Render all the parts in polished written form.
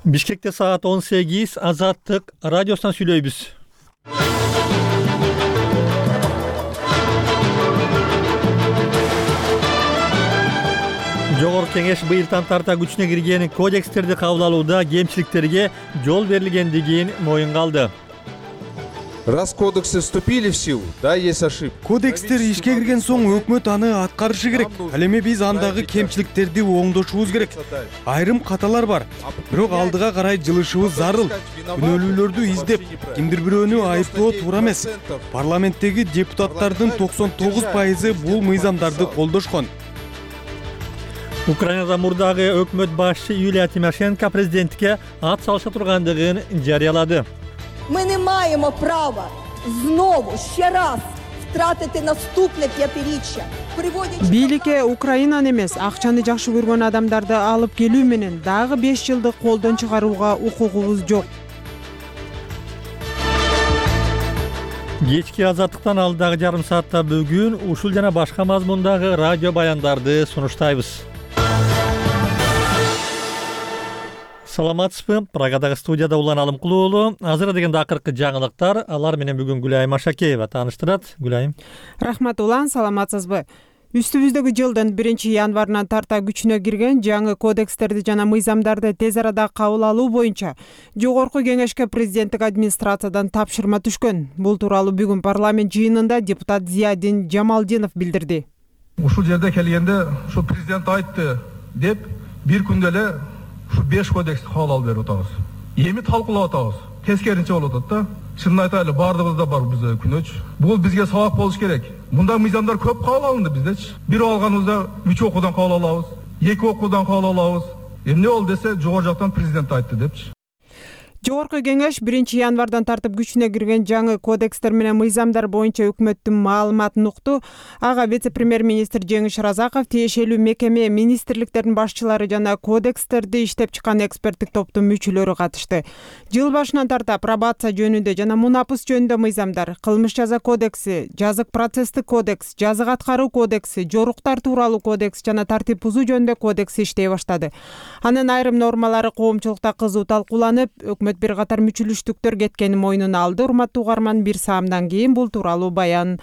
Бишкекте саат 18 Азаттык радиосунан сүйлөйбүз. Жогорку кеңеш быйылдан тарта күчүнө кирген кодекстерди кабыл алууда кемчиликтерге жол берилгендигин моюнга алды. Раз кодексы вступили в силу, да, есть ошибки. Кодекстер ишке кирген соң өкмөт аны аткарышы керек. Ал эми биз андагы кемчиликтерди оңдошубуз керек. Айрым каталар бар, бирок алдыга карай жылышыбыз зарыл. Күнөөлүүлөрдү издеп, кимдир бирөөнү айыптоо туура эмес. Парламенттеги депутаттардын 99% бул мыйзамдарды колдошкон. Украинада мурдагы өкмөт башчы Юлия Тимошенко президентке ат салыша тургандыгын жарыялады. Ми не маємо права знову ще раз втратити наступне п'ятиріччя. Бийликке Украинаны эмес, акчаны жакшы көргөн адамдарды алып келүү менен дагы 5 жылдык колдон чыгарууга укугубуз жок. Кечки Азаттыктан алдагы жарым саатта бүгүн ушул жана башка мазмундагы радио баяндарды сунуштайбыз. Саламатсызбы? Прагадагы студияда Улан Алымкулуу. Азыр дегенде акыркы жаңылыктар. Алар менен бүгүн Гүлайым Ашакеева тааныштырат. Гүлайым. Рахмат Улан, саламатсызбы? Үстүбүздөгү жылдын 1-январынан тарта күчүнө кирген жаңы кодекстерди жана мыйзамдарды тез арада кабыл алуу боюнча Жогорку кеңешке президенттик администрациядан тапшырма түшкөн. Бул тууралуу бүгүн парламент жыйынында депутат Зиядин Жамалдинов билдирди. Ушул жерде келгенде ушу президент айтты деп бир күндө эле ушу 5 кодексти кабыл алып берип атабыз. Эми талкуулап атабыз. Тескеринче болуп атат да. Чынын айтайлы, бардыгыбызда бар бизде күнөөч. Бул бизге сабак болуш керек. Мында мыйзамдар көп кабыл алынды биздечи. Бир алганыбызда 3 окуудан кабыл алабыз, 2 окуудан кабыл алабыз. Эмне болду десе, жогору жактан президент айтты депчи. Жогорку кеңеш 1-январдан тартып күчүнө кирген жаңы кодекстер менен мыйзамдар боюнча өкмөттүн маалыматын укту. Ага вице-премьер-министр Жеңиш Разаков, тиешелүү мекеме, министрликтердин башчылары жана кодекстерди иштеп чыккан эксперттик топтун мүчөлөрү катышты. Жыл башынан тарта пробация жөнүндө жана мунапыс жөнүндө мыйзамдар, кылмыш жаза кодекси, жазык процесстик кодекс, жазык аткаруу кодекси, жоруктар тууралуу кодекс жана тартип бузуу жөнүндө кодекс иштей баштады. Анын айрым нормалары коомчулукта кызуу талкууланып, өкмөт бир катар мүчүлүштүктөр кеткенин мойнуна алды. Урматтуу угарман, бир саамдан кийин бул тууралуу баян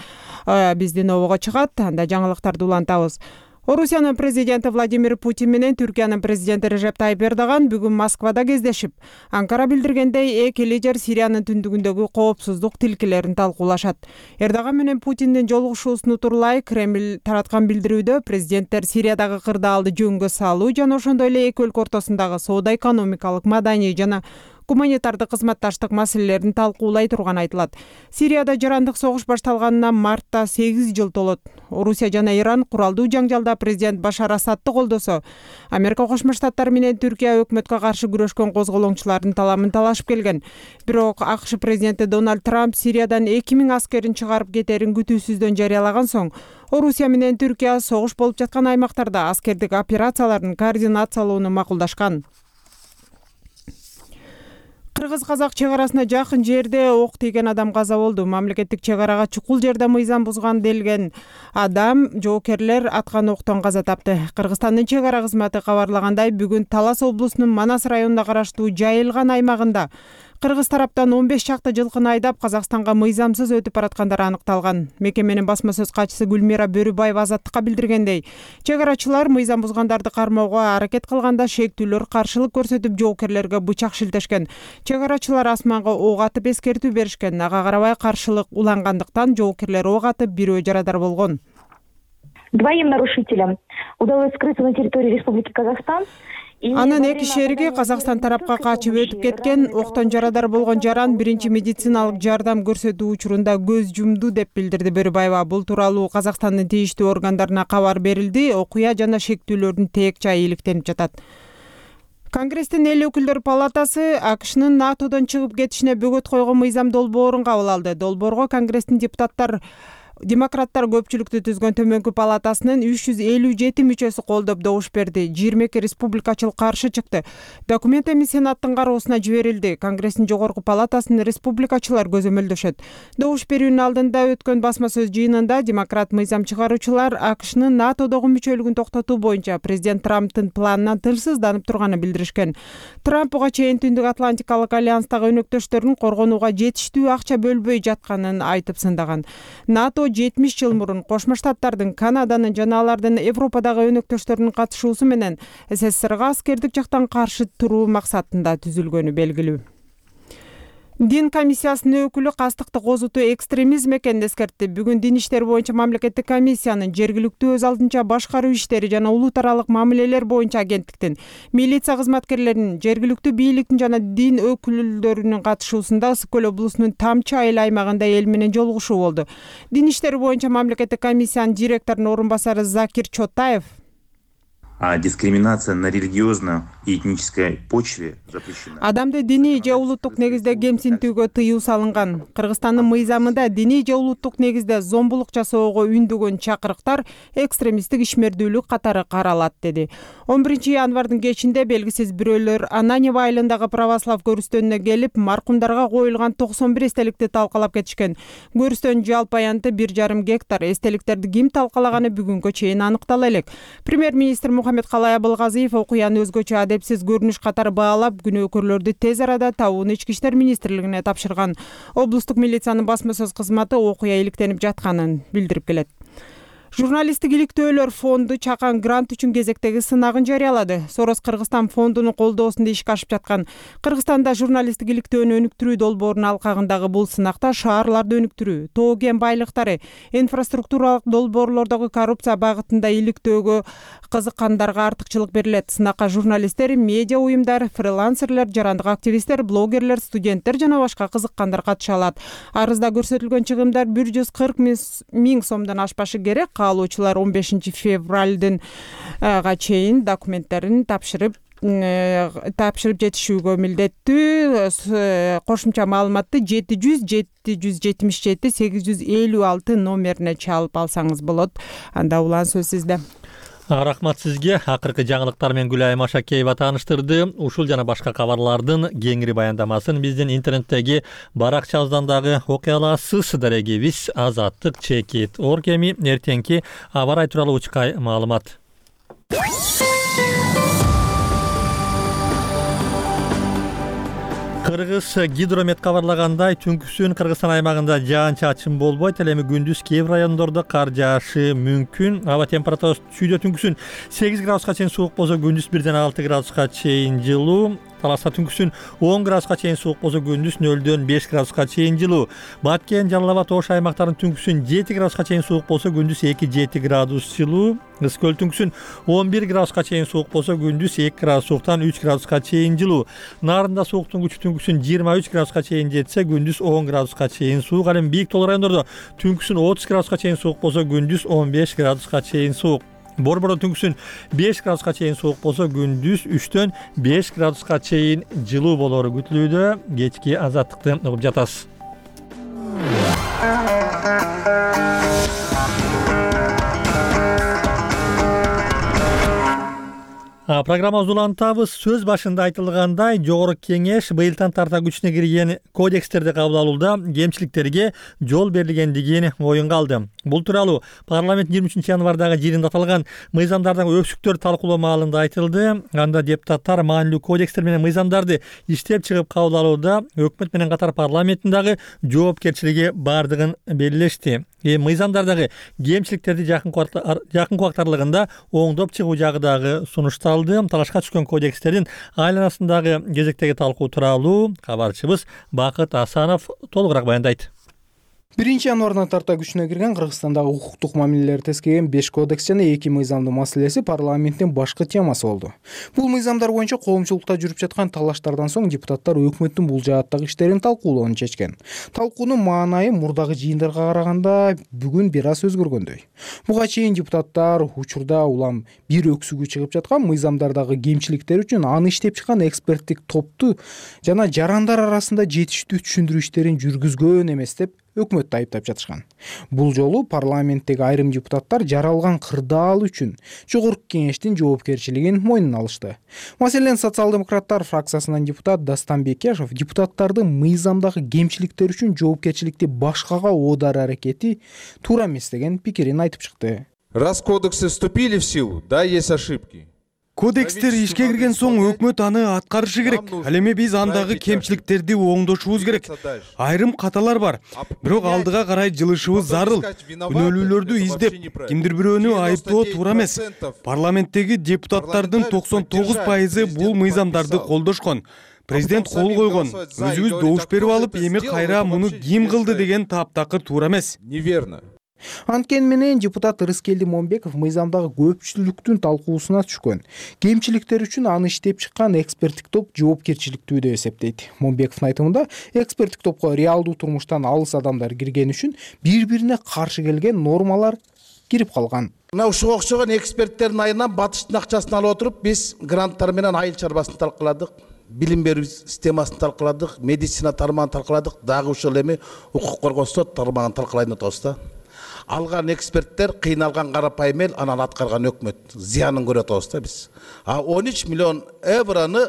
биздин обого чыгат. Анда жаңылыктарды улантабыз. Орусиянын президенти Владимир Путин менен Түркиянын президенти Режеп Тайип Эрдоган бүгүн Москвада кездешип, Анкара билдиргендей эки лидер Сириянын түндүгүндөгү коопсуздук тилкелерин талкуулашат. Эрдоган менен Путиндин жолугушуусун утурлай Кремль тараткан билдирүүдө президенттер Сириядагы кырдаалды жөнгө салуу жана ошондой эле эки өлкө ортосундагы соода-экономикалык, маданий жана гуманитардык кызматташтык маселелерин талкуулай турганы айтылат. Сирияда жарандык согуш башталганына мартта 8 жыл толот. Орусия жана Иран куралдуу жаңжалда президент Башар Асадты колдосо, Америка Кошмо Штаттары менен Түркия өкмөткө каршы күрөшкөн козголоңчулардын таламын талашып келген. Бирок АКШ президенти Дональд Трамп Сириядан 2000 аскерин чыгарып кетерин күтүүсүздөн жарыялаган соң, Орусия менен Түркия согуш болуп жаткан аймактарда аскердик операциялардын координациялоону макулдашкан. Кыргыз-казак чек арасына жакын жерде ок тийген адам каза болду. Мамлекеттик чек арага чукул жерде мыйзам бузган делген адам жоокерлер аткан октон каза тапты. Кыргызстандын чек ара кызматы кабарлагандай, бүгүн Талас облусунун Манас районуна караштуу Жайылган аймагында кыргыз тараптан 15 чакты жылкыны айдап Казакстанга мыйзамсыз өтүп бараткандары аныкталган. Мекеменин басма сөз катчысы Гүлмира Бөрүбаева Азаттыкка билдиргендей, чек арачылар мыйзам бузгандарды кармоого аракет кылганда шектүүлөр каршылык көрсөтүп жоокерлерге бычак шилтешкен. Чек арачылар асманга ок атып эскертүү беришкен. Ага карабай каршылык улангандыктан жоокерлер ок атып бирөө жарадар болгон. Двоим нарушителям удалось скрыться на территории Республики Казахстан. Анын эки шериги Казакстан тарапка качып өтүп кеткен. Октон жарадар болгон жаран биринчи медициналык жардам көрсөтүү учурунда көз жумду деп билдирди Бөрүбаева. Бул тууралуу Казакстандын тийиштүү органдарына кабар берилди. Окуя жана шектүүлөрдүн теек жайы иликтенип жатат. Конгресстин эл өкүлдөр палатасы АКШнын НАТОдон чыгып кетишине бөгөт койгон мыйзам долбоорун кабыл алды. Долбоорго Конгресстин депутаттар Демократтар көпчүлүктү түзгөн төмөнкү палатасынын 357 мүчөсү колдоп добуш берди. 22 республикачыл каршы чыкты. Документ эми Сенаттын кароосуна жиберилди. Конгресстин жогорку палатасын республикачылар көзөмөлдөшөт. Добуш берүүнүн алдында өткөн басма сөз жыйынында демократ мыйзам чыгаруучулар АКШнын НАТОдогу мүчөлүгүн токтотуу боюнча президент Трамптын планынан тилсизданып турганын билдиришкен. Трамп буга чейин Түндүк Атлантикалык альянстагы өнөктөштөрүн коргонууга жетиштүү акча бөлбөй жатканын айтып сындаган. НАТО 70 жыл мурун Кошмо Штаттардын, Канаданын жана алардын Европадагы өнөктөштөрүнүн катышуусу менен СССРга аскердик жактан каршы туруу максатында түзүлгөнү белгилүү. Дин комиссиясынын өкүлү кастыкты козутуу экстремизм экенин эскертти. Бүгүн дин иштери боюнча мамлекеттик комиссиянын жергиликтүү өз алдынча башкаруу иштери жана улут аралык мамилелер боюнча агенттиктин, милиция кызматкерлеринин, жергиликтүү бийликтин жана дин өкүлдөрүнүн катышуусунда Ысык көл облусунун Тамчы айыл аймагында эл менен жолугушуу болду. Дин иштери боюнча мамлекеттик комиссиянын директорунун орун басары Закир Чотаев дискриминация на религиозно-этнической почве запрещена. Адамды диний же улуттук негизде кемсинтүүгө тыюу салынган. Кыргызстандын мыйзамында диний же улуттук негизде зомбулук жасоого үндөгөн чакырыктар экстремисттик ишмердүүлүк катары каралат, деди. 11 январдын кечинде белгисиз бирөөлөр Ананьево айылындагы православ көрүстөнүнө келип, маркумдарга коюлган 91 эстеликти талкалап кетишкен. Көрүстөн жалпы аянты 1,5 гектар. Эстеликтерди ким талкалаганы бүгүнгө чейин аныктала элек. Премьер-министр Мухаммед Калай Абылгазиев окуяны өзгөчө адепсиз көрүнүш катары баалап, күнөөкөрлөрдү тез арада табууну Ички иштер министрлигине тапшырган. Облустук милициянын басма сөз кызматы окуя иликтенип жатканын билдирип келет. Журналисттик иликтөөлөр фонду Чакан грант үчүн кезектеги сынагын жарыялады. Сорос Кыргызстан фондунун колдоосунда ишке ашып жаткан Кыргызстанда журналисттик иликтөөнү өнүктүрүү долбоорунун алкагындагы бул сынакта шаарларды өнүктүрүү, тоо кен байлыктары, инфраструктуралык долбоорлордогу коррупция багытында иликтөөгө кызыккандарга артыкчылык берилет. Сынакка журналисттер, медиа уюмдар, фрилансерлер, жарандык активисттер, блогерлер, студенттер жана башка кызыккандар катыша алат. Арызда көрсөтүлгөн чыгымдар 140 миң сомдон ашпашы керек. Каалоочулар 15 февралдын чейин документтерин тапшырып жетишүүгө милдеттүү. Кошумча маалыматты 700 777 856 номерине чалып алсаңыз болот. Анда улан сөз сизде. Рахмат сизге. Акыркы жаңылыктар менен Гүлай Машакеева тааныштырды. Ушул жана башка кабарлардын кеңири баяндамасын биздин интернеттеги баракчабыздан дагы окуй аласыз. Дарегибиз azattik.org. Эми эртеңки аба ырайы тууралуу учкай маалымат. Кыргыз гидромет кабарлагандай, түнкүсүн Кыргызстан аймагында жаан-чачын болбойт, эми күндүз кээ бир райондордо кар жаашы мүмкүн. Аба температурасы түшүдө түнкүсүн 8 градуска чейин суук болсо, күндүз 1-6 градуска чейин жылуу. Таласта түнкүсүн 10 градуска чейин суук болсо, күндүз 0-5 градуска чейин жылуу. Баткен, Жалал Абад, Ош аймактарынын түнкүсүн 7 градуска чейин суук болсо, күндүз 2-7 градус жылуу. Ысык көл түнкүсүн 11 градуска чейин суук болсо, күндүз 2 градус сууктан 3 градуска чейин жылуу. Нарында сууктун күчү түнкүсүн 23 градуска чейин жетсе, күндүз 10 градуска чейин суук. Ал эми бийик тоолуу райондордо түнкүсүн 30 градуска чейин суук болсо, күндүз 15 градуска чейин суук. Борбордо түнкүсүн 5 градуска чейин суук болсо, күндүз 3-5 градуска чейин жылуу болору күтүлүүдө. Кечки азаттыкты угуп жатасыз. Программабызды улантабыз. Сөз башында айтылгандай, Жогорку Кеңеш быйылдан тарта күчүнө кирген кодекстерди кабыл алууда кемчиликтерге жол берилгендигин оюнга алды. Бул тууралуу парламент 23 январдагы жыйынында аталган мыйзамдардагы өксүктөр талкуулоо маалында айтылды. Анда депутаттар маанилүү кодекстер менен мыйзамдарды иштеп чыгып кабыл алууда өкмөт менен катар парламенттин дагы жоопкерчилиги бардыгын белгилешти. Мыйзамдардагы кемчиликтерди жакынкы убактарлыгында оңдоп чыгуу жагы дагы сунушталды. Талашка түшкөн кодекстердин айланасындагы кезектеги талкуу тууралуу кабарчыбыз Бакыт Асанов толугураак баяндайт. 1 январдан тарта күчүнө кирген Кыргызстандагы укуктук мамилелерди тескеген 5 кодекс жана 2 мыйзамдын маселеси парламенттин башкы темасы болду. Бул мыйзамдар боюнча коомчулукта жүрүп жаткан талаштардан соң депутаттар өкмөттүн бул жааттагы иштерин талкуулоону чечкен. Талкуунун маанайы мурдагы жыйындарга караганда бүгүн бир аз өзгөргөндөй. Буга чейин депутаттар учурда улам бир өксүгү чыгып жаткан мыйзамдардагы кемчиликтер үчүн аны иштеп чыккан эксперттик топту жана жарандар арасында жетиштүү түшүндүрүү иштерин жүргүзгөн эмес деп өкмөттү айыптап жатышкан. Бул жолу парламенттеги айрым депутаттар жаралган кырдаал үчүн жогорку кеңештин жоопкерчилигин мойнуна алышты. Маселен, социал-демократтар фракциясынан депутат Дастан Бекешев депутаттардын мыйзамдагы кемчиликтер үчүн жоопкерчиликти башкага оодаруу аракети туура эмес деген пикирин айтып чыкты. Раз кодексы вступили в силу, да, есть ошибки. Кодекстер ишке кирген соң өкмөт аны аткарышы керек. Ал эми биз андагы кемчиликтерди оңдошубуз керек. Айрым каталар бар, бирок алдыга карай жылышыбыз зарыл. Күнөөлүүлөрдү издеп, кимдир бирөөнү айыптоо туура эмес. Парламенттеги депутаттардын 99% бул мыйзамдарды колдошкон. Президент кол койгон. Өзүбүз добуш берип алып, эми кайра муну ким кылды деген таптакыр туура эмес. Неверно. Анткени менен депутат Рыскелди Момбеков мыйзамдагы көпчүлүктүн талкуусуна түшкөн. Кемчиликтер үчүн аны иштеп чыккан эксперттик топ жоопкерчиликтүү деп эсептейт. Момбековдун айтымында, эксперттик топко реалдуу турмуштан алыс адамдар кирген үчүн бири-бирине каршы келген нормалар кирип калган. Мына ушуга окшогон эксперттердин айынан батыштын акчасын алып отуруп, биз гранттар менен айыл чарбасын талкыладык. Билим берүү системасын талкыладык, медицина тармагын талкыладык, дагы ушул эми укук коргоо сот тармагын талкылайын атабыз да. Алган эксперттер кыйналган карапайым эл, анан аткарган өкмөт зыянын көрүп атабыз да биз. 13 миллион евроны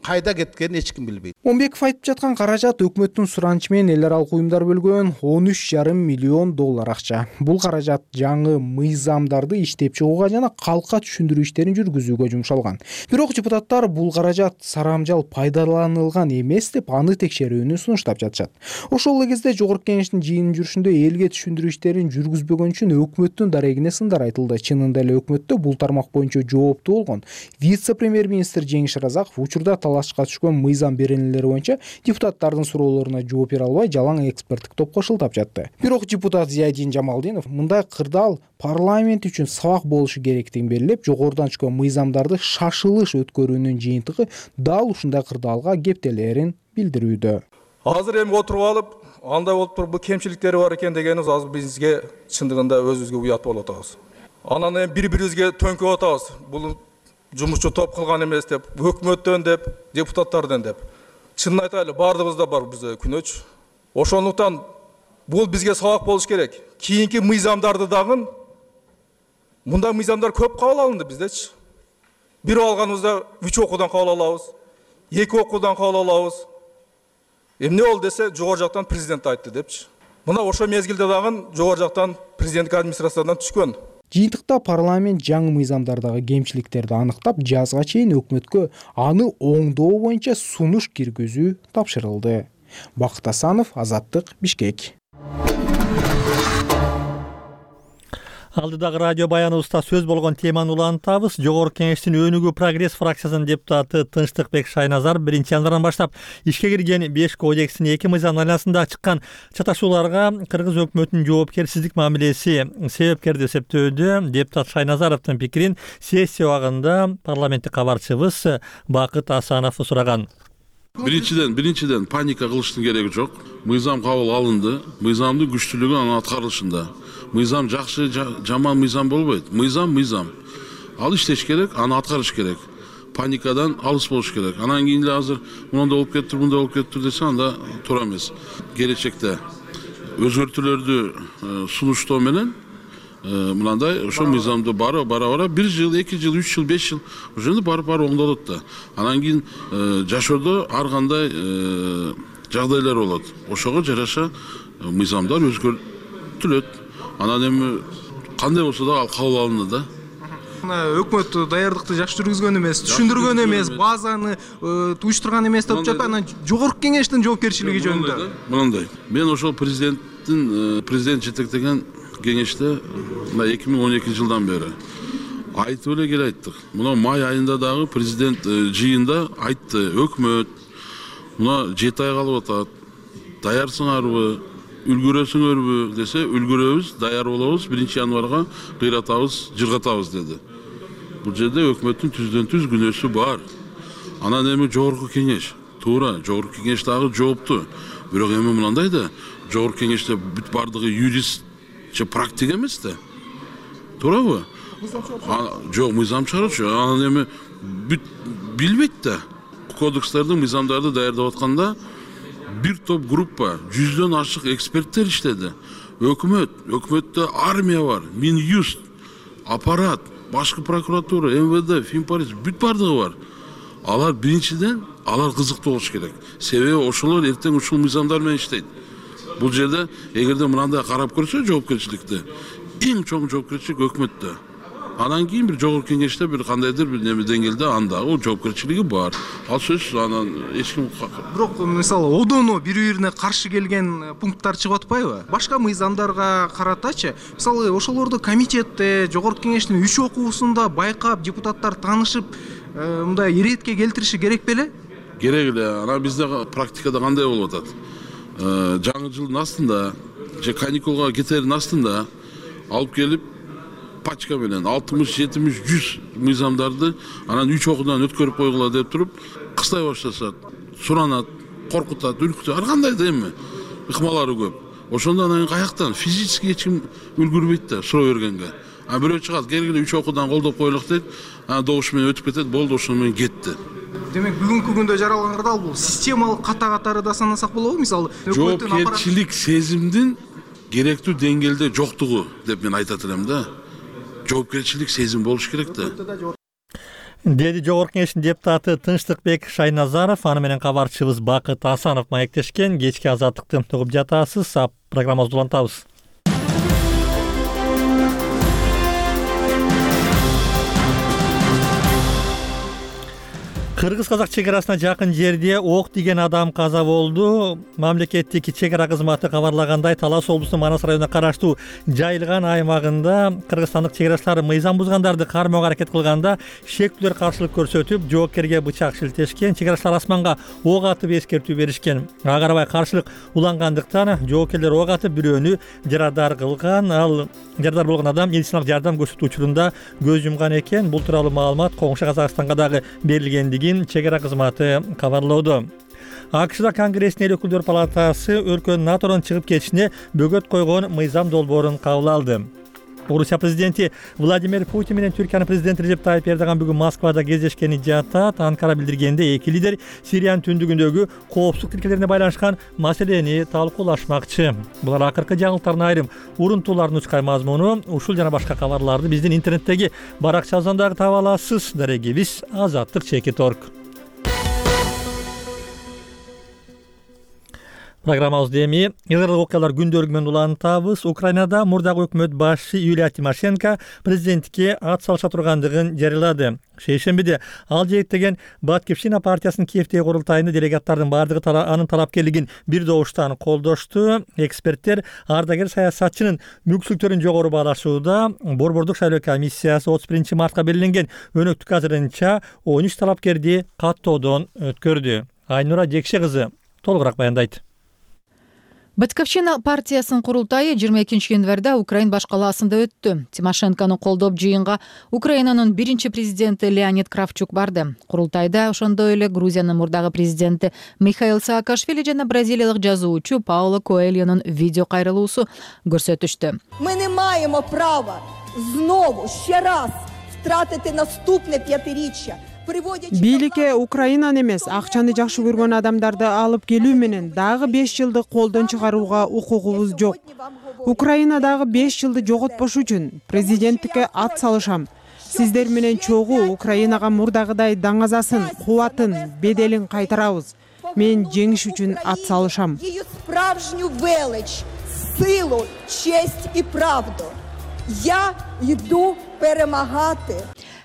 кайда кеткенин эч ким билбейт. Момбеков айтып жаткан каражат өкмөттүн суранычы менен эл аралык уюмдар бөлгөн 13,5 миллион доллар акча. Бул каражат жаңы мыйзамдарды иштеп чыгууга жана калкка түшүндүрүү иштерин жүргүзүүгө жумшалган. Бирок депутаттар бул каражат сарамжал пайдаланылган эмес деп аны текшерүүнү сунуштап жатышат. Ошол эле кезде жогорку кеңештин жыйын жүрүшүндө элге түшүндүрүү иштерин жүргүзбөгөн үчүн өкмөттүн дарегине сындар айтылды. Чынында эле өкмөттө бул тармак боюнча жооптуу болгон вице-премьер-министр Жеңиш Разаков учурда талашка түшкөн мыйзам беренелери боюнча депутаттардын суроолоруна жооп бере албай жалаң эксперттик топко шылтап жатты. Бирок депутат Зиядин Жамалдинов мындай кырдаал парламент үчүн сабак болушу керектигин белгилеп, жогорудан түшкөн мыйзамдарды шашылыш өткөрүүнүн жыйынтыгы дал ушундай кырдаалга кептелерин билдирүүдө. Азыр эми отуруп алып, андай болуп туруп, бул кемчиликтери бар экен дегенибиз азыр бизге чындыгында өзүбүзгө уят болуп атабыз. Анан эми бири-бирибизге төңкөп атабыз. Бул жумушчу топ кылган эмес деп, өкмөттөн деп, депутаттардан деп. Чынын айтайлы, бардыгыбызда бар бизде күнөөч. Ошондуктан бул бизге сабак болуш керек. Кийинки мыйзамдарды дагы мындай мыйзамдар көп кабыл алынды биздечи. Бир алганыбызда 3 окуудан кабыл алабыз, 2 окуудан кабыл алабыз. Эмне болду десе, жогору жактан президент айтты депчи. Мына ошо мезгилде дагы жогору жактан президенттик администрациядан түшкөн. Жыйынтыкта парламент жаңы мыйзамдардагы кемчиликтерди аныктап, жазга чейин өкмөткө аны оңдоо боюнча сунуш киргизүү тапшырылды. Бакыт Асанов, Азаттык, Бишкек. Алдыдагы радио баяныбызда сөз болгон теманы улантабыз. Жогорку кеңештин Өнүгүү прогресс фракциясынын депутаты Тынчтыкбек Шайназар 1 январдан баштап ишке кирген 5 кодекстин 2 мыйзам айланасында чыккан чаташууларга кыргыз өкмөтүнүн жоопкерсиздик мамилеси себепкер деп эсептөөдө. Депутат Шайназаровдун пикирин сессия убагында парламенттик кабарчыбыз Бакыт Асанов сураган. Биринчиден паника кылыштын кереги жок. Мыйзам кабыл алынды. Мыйзамдын күчтүүлүгү анын аткарылышында. Мыйзам жакшы, жаман мыйзам болбойт. Мыйзам. Ал иштеш керек, аны аткарыш керек. Паникадан алыс болуш керек. Анан кийин эле азыр мындай болуп кетти, мындай болуп кетти десе, анда туура эмес. Келечекте өзгөртүүлөрдү сунуштоо менен мындай ошо мыйзамды бара 1 жыл, 2 жыл, 3 жыл, 5 жыл ошондо барып оңдолот да. Анан кийин жашоодо ар кандай жагдайлар болот. Ошого жараша мыйзамдар өзгөртүлөт. Анан эми кандай болсо да ал кабыл алынды да. Өкмөт даярдыкты жакшы жүргүзгөн эмес, түшүндүргөн эмес, базаны уюштурган эмес деп жатат. Анан жогорку кеңештин жоопкерчилиги жөнүндө. Мындай. Мен ошол президент жетектеген кеңеште 2012 жылдан бери айтып эле кел айттык. Мына май айында дагы президент жыйында айтты, өкмөт мына 7 ай калып атат. Даярсыңарбы, үлгүрөсүңөрбү десе, үлгүрөбүз, даяр болобуз, 1 январга кыйратабыз, жыргатабыз деди. Бул жерде өкмөттүн түздөн-түз күнөөсү бар. Анан эми жогорку кеңеш, туура, жогорку кеңеш дагы жоопту. Бирок эми мындай да, жогорку кеңеште бүт бардыгы юрист же практик эмес да. Туурабы? Жок, мыйзам чыгаруучу. Анан эми бүт билбейт да. Кодекстерди, мыйзамдарды даярдап атканда бир топ группа, 100дөн ашык эксперттер иштеди. Өкмөттө армия бар, Минюст, аппарат, башкы прокуратура, МВД, Финполиция бүт бардыгы бар. Алар биринчиден алар кызыктуу болуш керек. Себеби ошолор эртең ушул мыйзамдар менен иштейт. Бул жерде эгерде мындай карап көрсө жоопкерчиликти, эң чоң жоопкерчилик өкмөттө. Анан кийин бир жогорку кеңеште бир кандайдыр бир неме деңгээлде андагы жоопкерчилиги бар. Ал сөзсүз анан эч ким. Бирок мисалы одоно бири-бирине каршы келген пункттар чыгып атпайбы? Башка мыйзамдарга каратачы, мисалы ошолорду комитетте, жогорку кеңештин 3 окуусунда байкап, депутаттар таанышып, мындай иретке келтириши керек беле? Керек эле. Анан бизде практикада кандай болуп атат? Жаңы жылдын астында же каникулга кетердин астында алып келип пачка менен 60, 70, 100 мыйзамдарды анан 3 окуудан өткөрүп койгула деп туруп кыстай башташат, суранат, коркутат, үркүтөт, ар кандай да эми ыкмалары көп. Ошондо анан каяктан физически эч ким үлгүрбөйт да суроо бергенге. А бирөө чыгат, келгиле 3 окуудан колдоп коелук дейт, анан добуш менен өтүп кетет, болду, ошону менен кетти. Демек бүгүнкү күндө жаралган кырдаал бул системалык катары да санасак болобу? Мисалы жоопкерчилик сезимдин керектүү деңгээлде жоктугу деп мен айтат элем да. Жоопкерчилик сезим болуш керек да. Деди жогорку кеңештин депутаты Тынчтыкбек Шайназаров, аны менен кабарчыбыз Бакыт Асанов маектешкен. Кечки азаттыкты угуп жатасыз, программабызды улантабыз. Кыргыз-казак чекарасына жакын жерде ок тиген адам каза болду. Мамлекеттик чекара кызматы кабарлагандай, Талас облусунун Манас районуна караштуу Жайылган аймагында кыргызстандык чекарачылар мыйзам бузгандарды кармоого аракет кылганда шектүүлөр каршылык көрсөтүп, жоокерге бычак шилтешкен. Чекарачылар асманга ок атып эскертүү беришкен. Ага карабай каршылык улангандыктан жоокерлер ок атып бирөөнү жарадар кылган. Ал жарадар болгон адам медициналык жардам көрсөтүү учурунда көз жумган экен. Бул тууралуу маалымат коңшу Казакстанга дагы берилгендигин чегара кызматы кабарлоодо. АКШда Конгресстин эл өкүлдөр палатасы өлкөнүн НАТОдон чыгып кетишине бөгөт койгон мыйзам долбоорун кабыл алды. Орусия президенти Владимир Путин менен Түркиянын президенти Режеп Тайип Эрдоган бүгүн Москвада кездешкени жатат. Анкара билдиргенде эки лидер Сириянын түндүгүндөгү коопсуздук тилкелерине байланышкан маселени талкуулашмакчы. Булар акыркы жаңылыктардын айрым урунтууларын учкай мазмуну. Ушул жана башка кабарларды биздин интернеттеги баракчабыздан дагы таба аласыз. Дарегибиз azatlyk.org. Программабызды эми Израилдик окуялар күндөрү менен улантабыз. Украинада мурдагы өкмөт башчы Юлия Тимошенко президенттикке ат салыша тургандыгын жарыялады. Шейшембиде ал жээктеген Баткивщина партиясынын Киевдеги курултайында делегаттардын бардыгы анын талапкерлигин бир добуштан колдошту. Эксперттер ардагер саясатчынын мүмкүнчүлүктөрүн жогору баалашууда. Борбордук шайлоо комиссиясы 31 мартка белгиленген өнөктүк азырынча 13 талапкерди каттоодон өткөрдү. Айнура Жекше кызы толугураак баяндайт. Баткивщина партиясынын курултайы 22 январда Украин баш калаасында өттү. Тимошенкону колдоп жыйынга Украинанын биринчи президенти Леонид Кравчук барды. Курултайда ошондой эле Грузиянын мурдагы президенти Михаил Саакашвили жана бразилиялык жазуучу Пауло Коэльонун видео кайрылуусу көрсөтүштү. Ми не маємо права знову ще раз втратити наступне п'ятиріччя. Бийликке Украинаны эмес, акчаны жакшы көргөн адамдарды алып келүү менен дагы 5 жылды колдон чыгарууга укугубуз жок. Украина дагы 5 жылды жоготпош үчүн президенттикке ат салышам. Сиздер менен чогуу Украинага мурдагыдай даңазасын, кубатын, беделин кайтарабыз. Мен жеңиш үчүн ат салышам. Її справжню велич, силу, честь і правду. Я йду перемагати.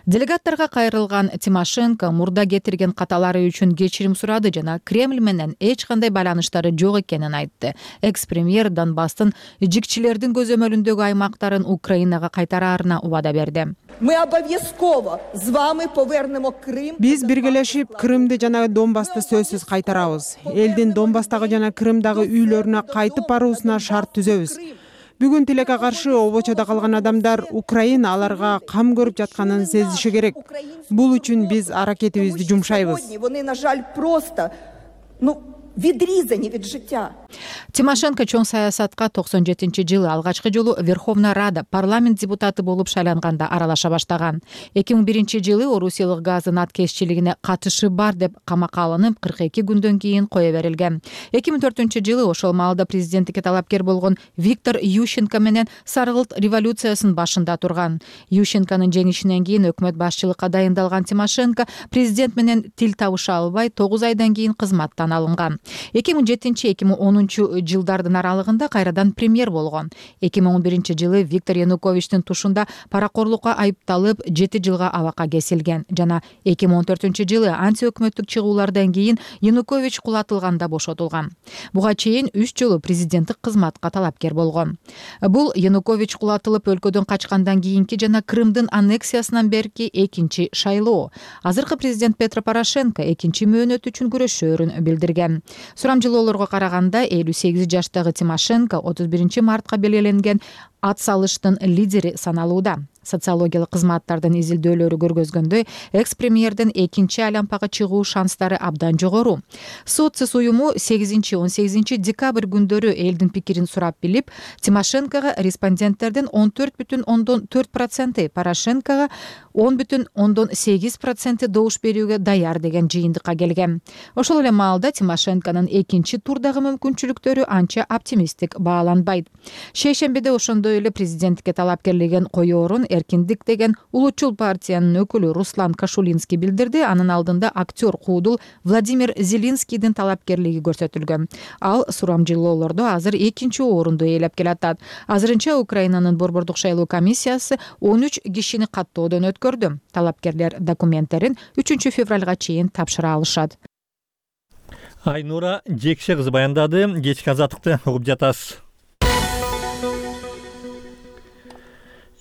Делегаттарга кайрылган Тимошенко мурда кетирген каталары үчүн кечирим сурады жана Кремль менен эч кандай байланыштары жок экенин айтты. Экс-премьер Донбасстын жикчилердин көзөмөлүндөгү аймактарын Украинага кайтараарына убада берди. Ми обов'язково з вами повернемо Крим. Биз биргелешип Крымды жана Донбасты сөзсүз кайтарабыз. Элдин Донбасстагы жана Крымдагы үйлөрүнө кайтып баруусуна шарт түзөбүз. Бүгүн тилекке каршы обочодо калган адамдар Украина аларга кам көрүп жатканын сезиши керек. Бул үчүн биз аракетибизди жумшайбыз. Вони, на жаль, просто відрізані від життя. Тимошенко чоң саясатка 97-жылы алгачкы жолу Верховная Рада парламент депутаты болуп шайланганда аралаша баштаган. 2001-жылы Орусиялык газдын аткезчилигине катышы бар деп камакка алынып 42 күндөн кийин кое берилген. 2004-жылы ошол маалда президенттикке талапкер болгон Виктор Ющенко менен Саргылт революциясынын башында турган. Ющенконун жеңишинен кийин өкмөт башчылыкка дайындалган Тимошенко президент менен тил табыша албай 9 айдан кийин кызматтан алынган. 2007-2010 жылдардын аралыгында кайрадан премьер болгон. 2011-жылы Виктор Януковичтин тушунда паракорлукка айыпталып 7 жылга абакка кесилген жана 2014-жылы антиөкмөттүк чыгуулардан кийин Янукович кулатылганда бошотулган. Буга чейин 3 жолу президенттик кызматка талапкер болгон. Бул Янукович кулатылып өлкөдөн качкандан кийинки жана Крымдын аннексиясынан берки экинчи шайлоо. Азыркы президент Петро Порошенко экинчи мөөнөт үчүн күрөшөөрүн билдирген. Сурамжылоолорго караганда 58 жаштагы Тимошенко 31 мартка белгиленген ат салыштын лидери саналууда. Социологиялык кызматтардын изилдөөлөрү көргөзгөндөй, экс-премьердин экинчи айлампага чыгуу шанстары абдан жогору. Социс уюму 8-18 декабрь күндөрү элдин пикирин сурап билип, Тимошенкого респонденттердин 14,4%, Порошенкого 10,8% добуш берүүгө даяр деген жыйынтыкка келген. Ошол эле маалда Тимошенконун экинчи турдагы мүмкүнчүлүктөрү анча оптимисттик бааланбайт. Шейшембиде ошондой эле президенттикке талапкерлеген коёорун Эркиндик деген улутчул партиянын өкүлү Руслан Кашулинский билдирди. Анын алдында актер куудул Владимир Зелинскийдин талапкерлиги көрсөтүлгөн. Ал сурамжылоолордо азыр экинчи орунду ээлеп келатат. Азырынча Украинанын борбордук шайлоо комиссиясы 13 кишини каттоодон өткөрдү. Талапкерлер документтерин 3 февралга чейин тапшыра алышат. Айнура Жекше кызы баяндады. Кечки азаттыкты угуп жатасыз.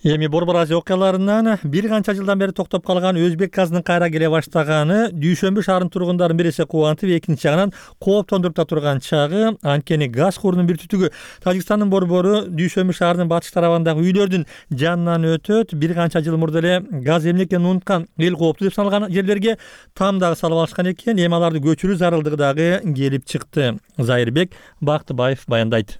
Эми Борбор Азия окуяларынан бир канча жылдан бери токтоп калган өзбек газынын кайра келе баштаганы Дүйшөмбү шаарынын тургундарын бир эсе кубантып, экинчи жагынан кооптондуруп да турган чагы. Анткени газ курунун бир түтүгү Тажикстандын борбору Дүйшөмбү шаарынын батыш тарабындагы үйлөрдүн жанынан өтөт. Бир канча жыл мурда эле газ эмне экенин унуткан эл кооптуу деп саналган жерлерге там дагы салып алышкан экен. Эми аларды көчүрүү зарылдыгы дагы келип чыкты. Зайырбек Бактыбаев баяндайт.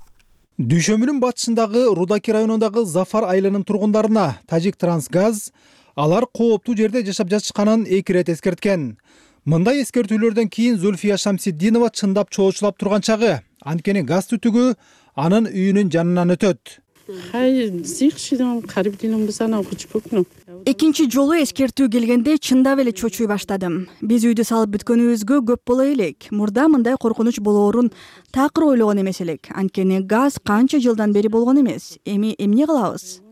Дүйшөмбүнүн батышындагы Рудаки районундагы Зафар айылынын тургундарына Тажик Трансгаз алар кооптуу жерде жашап жатышканын 2 рет эскерткен. Мындай эскертүүлөрдөн кийин Зульфия Шамсиддинова чындап чоочулап турган чагы, анткени газ түтүгү анын үйүнүн жанынан өтөт. Экинчи жолу эскертүү келгенде чындап эле чочуй баштадым. Биз үйдү салып бүткөнүбүзгө көп боло элек. Мурда мындай коркунуч болоорун такыр ойлогон эмес элек. Анткени газ канча жылдан бери болгон эмес. Эми эмне кылабыз?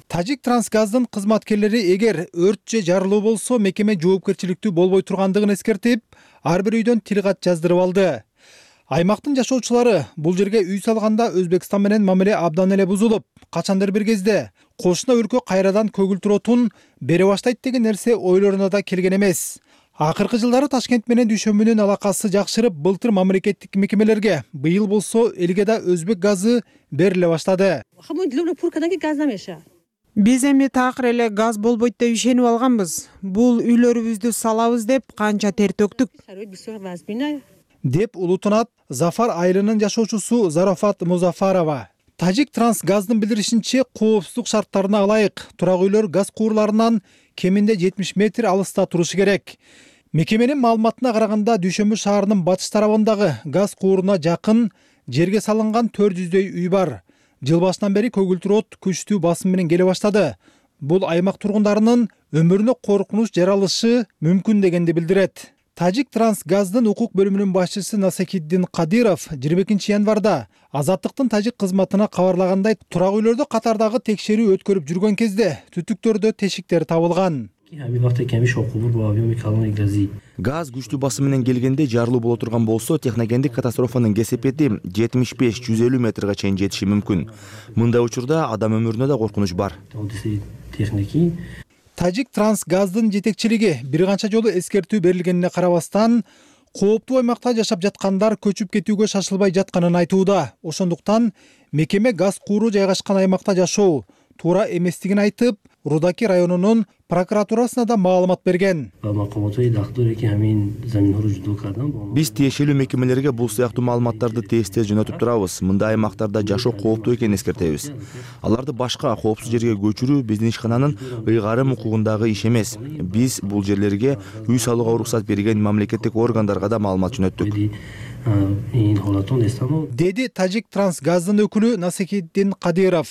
Тажик Трансгаздын кызматкерлери эгер өрт же жарылуу болсо мекеме жоопкерчиликтүү болбой тургандыгын эскертип, ар бир үйдөн тилкат жаздырып алды. Аймактын жашоочулары бул жерге үй салганда Өзбекстан менен мамиле абдан эле бузулуп, качандыр бир кезде кошуна өлкө кайрадан көгүлтүр отун бере баштайт деген нерсе ойлоруна да келген эмес. Акыркы жылдары Ташкент менен Дүйшөмбүнүн алакасы жакшырып, былтыр мамлекеттик мекемелерге, быйыл болсо элге да өзбек газы бериле баштады. Биз эми такыр эле газ болбойт деп ишенип алганбыз. Бул үйлөрүбүздү салабыз деп канча тер төктүк. Деп улутунат Зафар айылынын жашоочусу Зарафат Музафарова. Тажик Трансгаздын билдиришинче, коопсуздук шарттарына ылайык турак үйлөр газ куурларынан кеминде 70 метр алыста турушу керек. Мекеменин маалыматына караганда Дүйшөмбү шаарынын батыш тарабындагы газ кууруна жакын жерге салынган 400дөй үй бар. Жыл башынан бери көгүлтүр от күчтүү басым менен келе баштады. Бул аймак тургундарынын өмүрүнө коркунуч жаралышы мүмкүн дегенди билдирет. Тажик Трансгаздын укук бөлүмүнүн башчысы Насакиддин Кадиров 22 январда Азаттыктын тажик кызматына кабарлагандай, турак үйлөрдө катардагы текшерүү өткөрүп жүргөн кезде түтүктөрдө тешиктер табылган. Газ күчтүү басым менен келгенде жарылуу боло турган болсо, техногендик катастрофанын кесепети 75-150 метрге чейин жетиши мүмкүн. Мындай учурда адам өмүрүнө да коркунуч бар. Тажик Трансгаздын жетекчилиги бир канча жолу эскертүү берилгенине карабастан, кооптуу аймакта жашап жаткандар көчүп кетүүгө шашылбай жатканын айтууда. Ошондуктан мекеме газ кууру жайгашкан аймакта жашоо, туура эместигин айтып, Рудаки районунун прокуратурасына да маалымат берген. Биз тиешелүү мекемелерге бул сыяктуу маалыматтарды тез жөнөтүп турабыз. Мындай аймактарда жашоо кооптуу экенин эскертебиз. Аларды башка коопсуз жерге көчүрүү биздин ишкананын ыйгарым укугундагы иш эмес. Биз бул жерлерге үй салууга уруксат берген мамлекеттик органдарга да маалымат жөнөттүк. Деди Тажик Трансгаздын өкүлү Насихиддин Кадиров.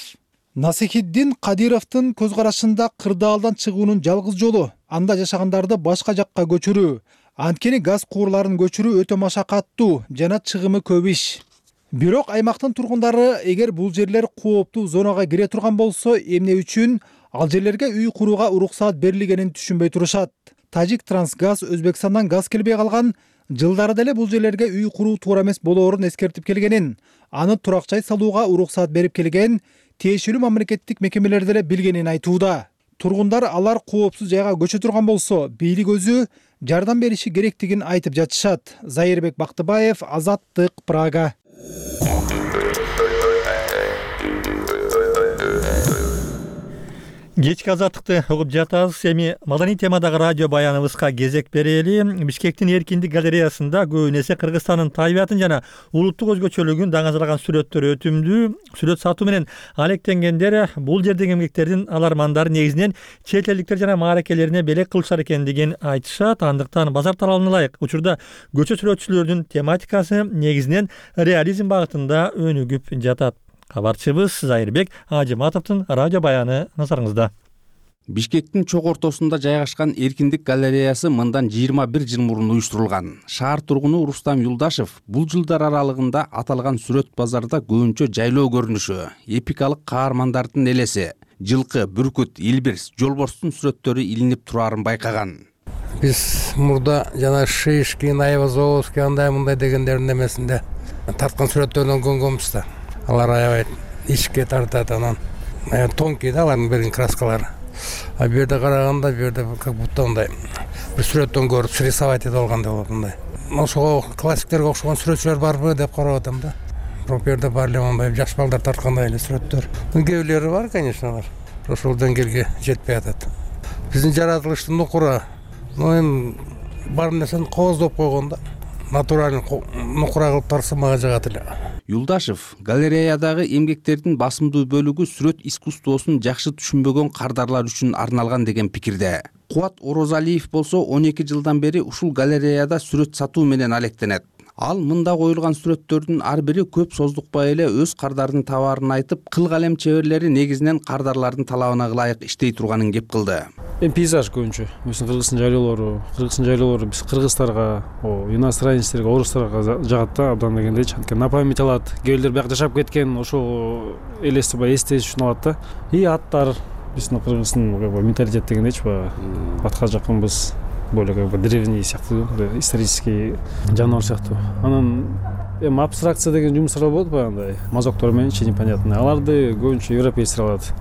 Насихиддин Кадировдун көз карашында кырдаалдан чыгуунун жалгыз жолу анда жашагандарды башка жакка көчүрүү. Анткени газ куурларын көчүрүү өтө машакаттуу жана чыгымы көп иш. Бирок аймактын тургундары эгер бул жерлер кооптуу зонага кире турган болсо, эмне үчүн ал жерлерге үй курууга уруксаат берилгенин түшүнбөй турушат. Тажик Трансгаз Өзбекстандан газ келбей калган жылдары деле бул жерлерге үй куруу туура эмес болоорун эскертип келгенин, аны турак жай салууга уруксаат берип келген тиешелүү мамлекеттик мекемелер деле билгенин айтууда. Тургундар алар коопсуз жайга көчө турган болсо, бийлик өзү жардам бериши керектигин айтып жатышат. Зайырбек Бактыбаев, Азаттык, Прага. Кечки азаттыкты угуп жатабыз. Эми маданий темадагы радио баяныбызга кезек берели. Бишкектин Эркиндик галереясында көбүн эсе Кыргызстандын табиятын жана улуттук өзгөчөлүгүн даңазалаган сүрөттөр өтүмдүү. Сүрөт сатуу менен алектенгендер бул жердеги эмгектердин алармандары негизинен чет элдиктер жана мааракелерине белек кылышар экендигин айтышат. Андыктан базар талабына ылайык учурда көчө сүрөтчүлөрдүн тематикасы негизинен реализм багытында өнүгүп жатат. Кабарчыбыз Зайырбек Ажыматовдун радио баяны назарыңызда. Бишкектин чок ортосунда жайгашкан Эркиндик галереясы мындан 21 жыл мурун уюштурулган. Шаар тургуну Рустам Юлдашев бул жылдар аралыгында аталган сүрөт базарда көбүнчө жайлоо көрүнүшү, эпикалык каармандардын элеси, жылкы, бүркүт, илбирс, жолборстун сүрөттөрү илинип турарын байкаган. Биз мурда жана Шишкин, Айвазовский андай мындай дегендердин эмесинде тарткан сүрөттөрдөн көнгөнбүз да. Алар аябай ишке тартат, анан тонкий да алардын берген краскалары. А бу жерде караганда, бу жерде как будто мындай бир сүрөттөн көрүп срисовать этип алгандай болот мындай. Ошого классиктерге окшогон сүрөтчүлөр барбы деп карап атам да. Бирок бу жерде баары эле мындай жаш балдар тарткандай эле сүрөттөр. Кээ бирлери бар, конечно, алар ошол деңгээлге жетпей атат. Биздин жаратылыштын нукура, эми бар нерсени кооздоп койгон да. Натуралдуу нукура кылып тарса мага жагат эле. Юлдашев галереядагы эмгектердин басымдуу бөлүгү сүрөт искусствосун жакшы түшүнбөгөн кардарлар үчүн арналган деген пикирде. Кубат Орозалиев болсо 12 жылдан бери ушул галереяда сүрөт сатуу менен алектенет. Ал мында коюлган сүрөттөрдүн ар бири көп создукпай эле өз кардардын табаарын айтып, кыл калем чеберлери негизинен кардарлардын талабына ылайык иштей турганын кеп кылды. Пейзаж көбүнчө, Кыргыздын жайлоолору биз кыргыздарга, иностранецтерге, орустарга жагат да, абдан дегендейчи. Анткени на память алат. Кээ бирлер бияк жашап кеткен, ошол эстеш үчүн алат да. И аттар биздин Кыргыздын менталитет дегендейчи, атка жакынбыз. Более древний сыяктуу, исторический жаныбар сыяктуу. Анан абстракция деген жумуштар болот баягындай, мазоктор менен непонятный. Аларды көбүнчө европейцтер алат.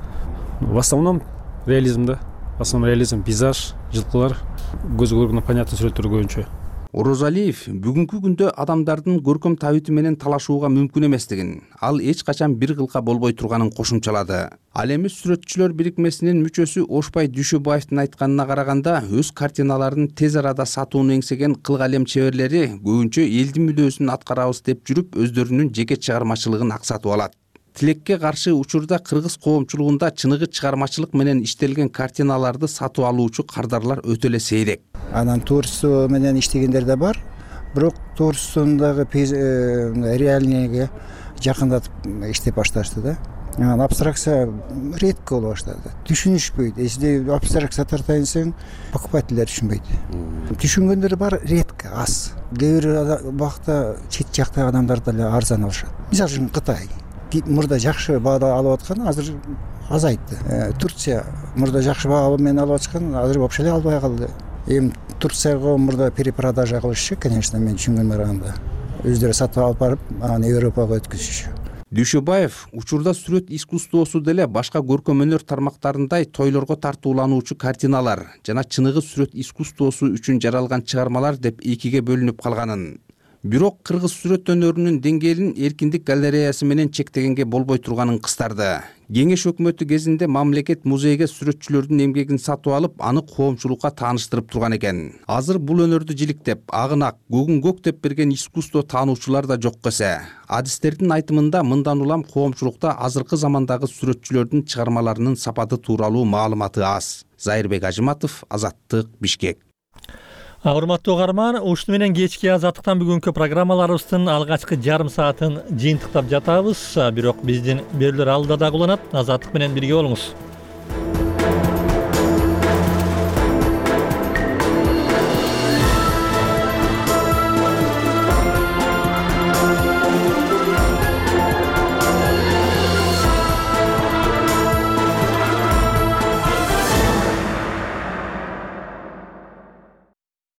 В основном реализм да. В основном реализм, пейзаж, жылкылар, көзгө көргөндөй понятный сүрөттөр көбүнчө. Орозалиев бүгүнкү күндө адамдардын көркөм табити менен талашууга мүмкүн эместигин, ал эч качан бир кылка болбой турганын кошумчалады. Ал эми сүрөтчүлөр бирикмесинин мүчөсү Ошбай Дүйшөбаевдин айтканына караганда, өз картиналарын тез арада сатууну эңсеген кыл калем чеберлери көбүнчө элдин мүдөөсүн аткарабыз деп жүрүп, өздөрүнүн жеке чыгармачылыгын аксатып алат. Тилекке каршы учурда кыргыз коомчулугунда чыныгы чыгармачылык менен иштелген картиналарды сатып алуучу кардарлар өтө эле сейрек. Анан творчество менен иштегендер да бар, бирок творчествондагы реальныйга жакындатып иштеп башташты да. Анан абстракция редко боло баштады. Түшүнүшпөйт. Эсиде абстракция тартайын десең, покупательдер түшүнбөйт. Түшүнгөндөр бар, редко, аз. Кээ бир убакта чет жактагы адамдар деле арзан алышат. Мисалы үчүн Кытай мурда жакшы баада алып аткан, азыр азайтты. Турция мурда жакшы баа менен алып аткан, азыр вообще эле албай калды. Эми Турцияга мурда перепродажа кылышчу, конечно, мен түшүнгөнүм караганда. Өздөрү сатып алып барып, аны Европага өткөзүшчү. Дүйшөбаев учурда сүрөт искусствосу деле башка көркөм өнөр тармактарындай тойлорго тартуулануучу картиналар жана чыныгы сүрөт искусствосу үчүн жаралган чыгармалар деп экиге бөлүнүп калганын, бирок кыргыз сүрөт өнөрүнүн деңгээлин эркиндик галереясы менен чектегенге болбой турганын кыстарды. Кеңеш өкмөтү кезинде мамлекет музейге сүрөтчүлөрдүн эмгегин сатып алып, аны коомчулукка тааныштырып турган экен. Азыр бул өнөрдү жиликтеп, агынак, көгүн көк деп берген искусство таануучулар да жок эсе. Адистердин айтымында мындан улам коомчулукта азыркы замандагы сүрөтчүлөрдүн чыгармаларынын сапаты тууралуу маалыматы аз. Зайырбек Ажыматов, Азаттык, Бишкек. Урматтуу угарман, ушуну менен кечки Азаттыктан бүгүнкү программаларыбыздын алгачкы жарым саатын жыйынтыктап жатабыз. Бирок биздин берүүлөр алда дагы уланат. Азаттык менен бирге болуңуз.